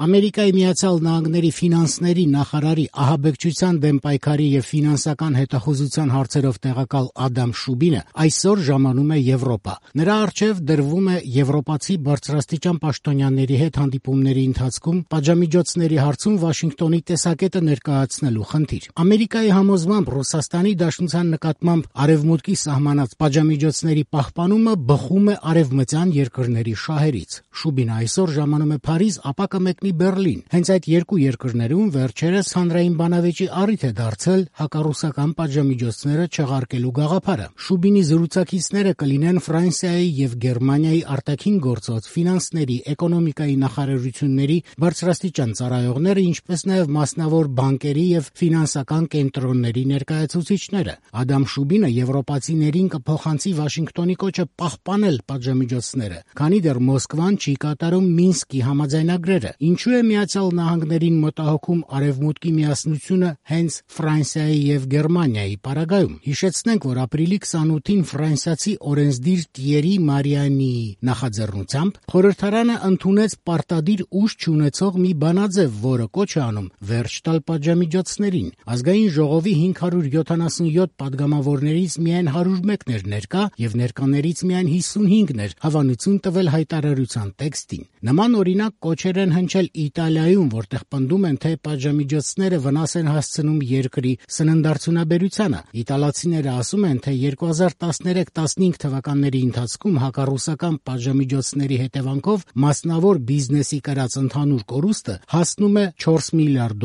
Ամերիկայի Միացյալ Նահանգների ֆինանսների նախարարի ահաբեկչության դեմ պայքարի եւ ֆինանսական հետախուզության հարցերով տեղակալ Ադամ Շուբինը այսօր ժամանում է Եվրոպա։ Նրա առջև դրվում է եվրոպացի բարձրաստիճան պաշտոնյաների հետ հանդիպումների ընթացքում պատժամիջոցների հարցում Վաշինգտոնի տեսակետը ներկայացնելու խնդիր։ Ամերիկայի համոզմամբ Ռուսաստանի Դաշնության նկատմամբ Արևմուտքի սահմանած պատժամիջոցների պահպանումը բխում է արևմտյան երկրների շահերից։ Շուբինը այսօր ժամանում է Փարիզ, ապա կմեկնի Բերլին։ Հենց այդ երկու երկրներում վերջերս հանրային բանավեճի առիթ է դարձել հակառուսական պատժամիջոցները չեղարկելու գաղափարը։ Շուբինի զրուցակիցները կլինեն Ֆրանսիայի եւ Գերմանիայի արտաքին գործոց, ֆինանսների, էկոնոմիկայի նախարարությունների բարձրաստիճան ծառայողները, ինչպես նաեւ մասնավոր բանկերի եւ ֆինանսական կենտրոնների ներկայացուցիչները։ Ադամ Շուբինը եվրոպացիներին կփոխանցի Վաշինգտոնի կոչը պահպանել պատժամիջոցները, քանի դեռ Մոսկվան չի կատարում Մինսկի համաձայնագրերը։ Ինչու է Միացյալ Նահանգներին մտահոգում Արևմուտքի միասնությունը հենց Ֆրանսիայի եւ Գերմանիայի պարագայում։ Հիշեցնենք, որ ապրիլի 28-ին ֆրանսիացի օրենսդիր Տիերի Մարիանիի նախաձեռնությամբ խորհրդարանը ընդունեց պարտադիր ուժ չունեցող մի բանաձև, որը կոչ է անում վերջ տալ պատժամիջոցներին։ Ազգային ժողովի 577 падգամավորներից միայն 101-ն էր ներկա եւ ներկաներից միայն 55-ն էր հավանություն տվել հայտարարության տեքստին։ Նման օրինակ կոչեր են հնչել Իտալիայում, որտեղ պնդում են, թե պատժամիջոցները վնաս են հասցնում երկրի սննդարդյունաբերությանը։ Իտալացիները ասում են, թե 2013-15 թվականների ընթացքում հակառուսական պատժամիջոցների հետևանքով մասնավոր բիզնեսի կրած ընդհանուր կորուստը հասնում է $4 միլիարդ։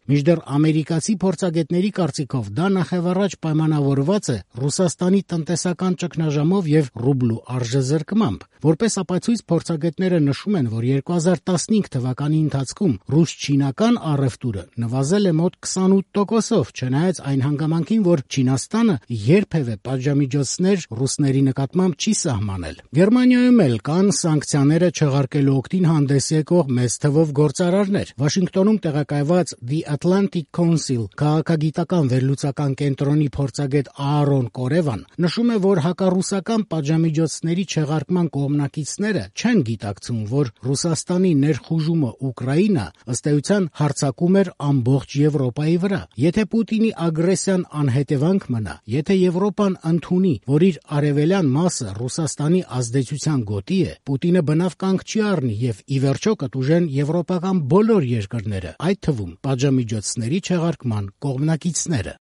Մինչդեռ ամերիկացի փորձագետների կարծիքով դա նախևառաջ պայմանավորված է Ռուսաստանի տնտեսական ճգնաժամով եւ ռուբլու արժեզրկմամբ։ Որպես ապացույց փորձագետները նշում են, որ 2015 թվականի ընթացքում ռուս-չինական առևտուրը նվազել է մոտ 28%, չնայած այն հանգամանքին, որ Չինաստանը երբևէ պատժամիջոցներ ռուսների նկատմամբ չի սահմանել։ Գերմանիայում էլ կան սանկցիաները չեղարկելու օգտին հանդես եկող մեծ թվով գործարարներ։ Վաշինգտոնում տեղակայված The Atlantic Council քաղաքագիտական վերլուծական կենտրոնի փորձագետ Аарոն Կորևան նշում է, որ հակառուսական պատժամիջոցների չեղարկման կողմնակիցները չեն գիտակցում, որ Ռուսաստանի ներխուժումը Ուկրաինա ըստ էության հարձակում էր ամբողջ Եվրոպայի վրա։ Եթե Պուտինի ագրեսիան անհետևանք մնա, եթե Եվրոպան ընդունի, որ իր արևելյան մասը Ռուսաստանի ազդեցության գոտի է, Պուտինը բնավ կանգ չի առնի եւ ի վերջո կտուժեն եվրոպական բոլոր երկրները, այդ թվում պատժամիջոցների չեղարկման կողմնակիցները։